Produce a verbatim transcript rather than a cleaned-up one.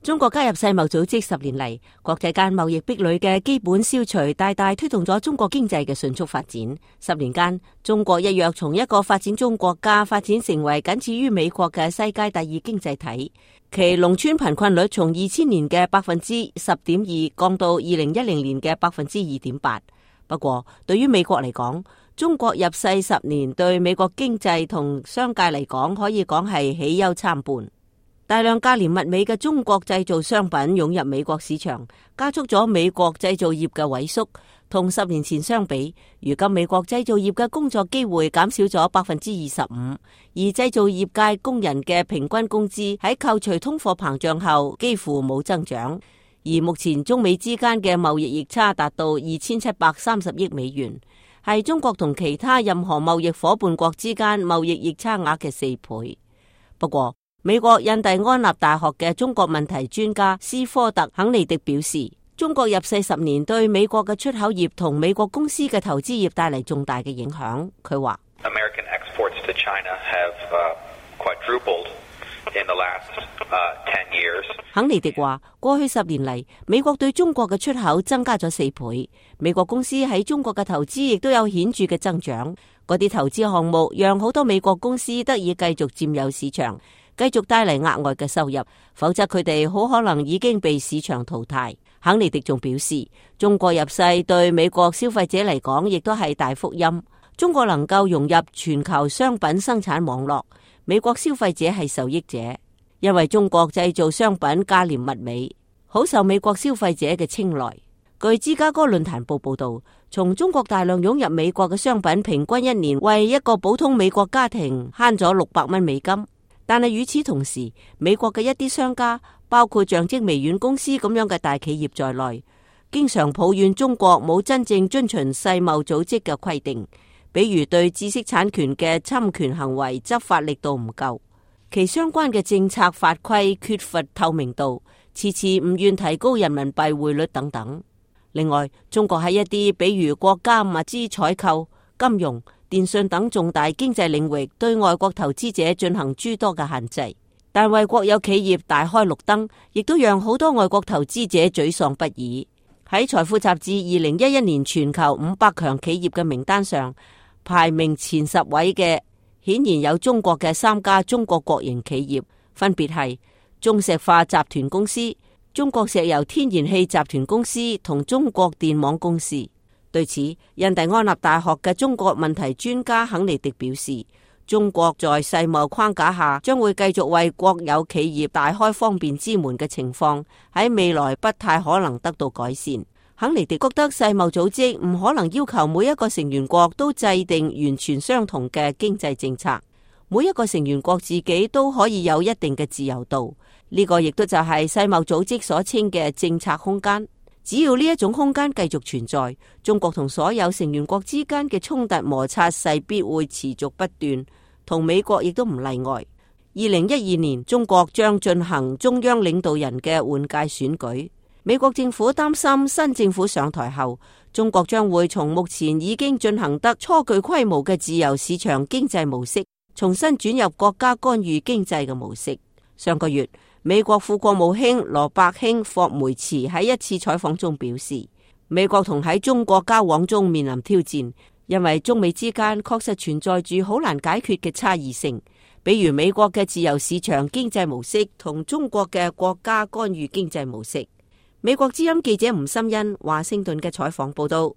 中國加入世貿組織十年嚟，國際間貿易壁壘嘅基本消除，大大推動咗中國經濟嘅迅速發展。十年間，中國一躍從一個發展中國家發展成為僅次於美國嘅世界第二經濟體。其農村貧困率從二千年嘅百分之十點二降到二零一零年嘅百分之二點八。不過，對於美國嚟講，中國入世十年對美國經濟同商界嚟講，可以講係喜憂參半。大量價廉物美嘅中國製造商品湧入美國市場，加速咗美國製造業嘅萎縮。同十年前相比，如今美國製造業嘅工作機會減少咗百分之二十五，而製造業界工人嘅平均工資喺扣除通貨膨脹後幾乎冇增長。而目前中美之間嘅貿易逆差達到二千七百三十億美元，係中國同其他任何貿易夥伴國之間貿易逆差額嘅四倍。不過，美國印第安納大學嘅中國問題專家斯科特肯尼迪表示，中國入世十年對美國嘅出口業同美國公司嘅投資業帶嚟重大嘅影響。佢話：American exports to China have quadrupled in the last ten years。肯尼迪話，過去十年嚟，美國對中國嘅出口增加咗四倍，美國公司喺中國嘅投資亦都有顯著嘅增長。嗰啲投資項目讓好多美國公司得以繼續佔有市場，繼續帶嚟額外嘅收入，否則佢哋好可能已經被市場淘汰。肯尼迪仲表示，中國入世對美國消費者嚟講亦都係大福音。中國能夠融入全球商品生產網絡，美國消費者係受益者，因為中國製造商品價廉物美，好受美國消費者嘅青睞。據芝加哥論壇報報道，從中國大量湧入美國嘅商品，平均一年為一個普通美國家庭慳咗六百蚊美金。但係與此同時，美國嘅一啲商家，包括像積微軟公司咁樣嘅大企業在內，經常抱怨中國冇真正遵循世貿組織嘅規定，比如對知識產權嘅侵權行為執法力度唔夠，其相關嘅政策法規缺乏透明度，遲遲唔願提高人民幣匯率等等。另外，中國喺一啲比如國家物資採購、金融、電信等重大經濟領域對外國投資者進行諸多嘅限制，但為國有企業大開綠燈，亦都讓好多外國投資者沮喪不已。喺財富雜誌二零一一年全球五百強企業嘅名單上，排名前十位嘅顯然有中國嘅三家中國國營企業，分別係中石化集團公司、中國石油天然氣集團公司同中國電網公司。對此，印第安納大學嘅中國問題專家肯尼迪表示，中國在世貿框架下將會繼續為國有企業大開方便之門嘅情況，喺未來不太可能得到改善。肯尼迪覺得世貿組織唔可能要求每一個成員國都制定完全相同嘅經濟政策，每一個成員國自己都可以有一定嘅自由度，呢個亦都就係世貿組織所稱嘅政策空間。只要呢一種空間繼續存在，中國同所有成員國之間嘅衝突摩擦勢必會持續不斷，同美國亦都唔例外。二零一二年，中國將進行中央領導人嘅換屆選舉。美國政府擔心新政府上台後，中國將會從目前已經進行得初具規模嘅自由市場經濟模式，重新轉入國家干預經濟嘅模式。上個月，美國副國務卿羅伯興霍梅茨喺一次採訪中表示，美國同喺中國交往中面臨挑戰，因為中美之間確實存在住好難解決嘅差異性，比如美國嘅自由市場經濟模式同中國嘅國家干預經濟模式。美國之音記者吳心欣華盛頓嘅採訪報道。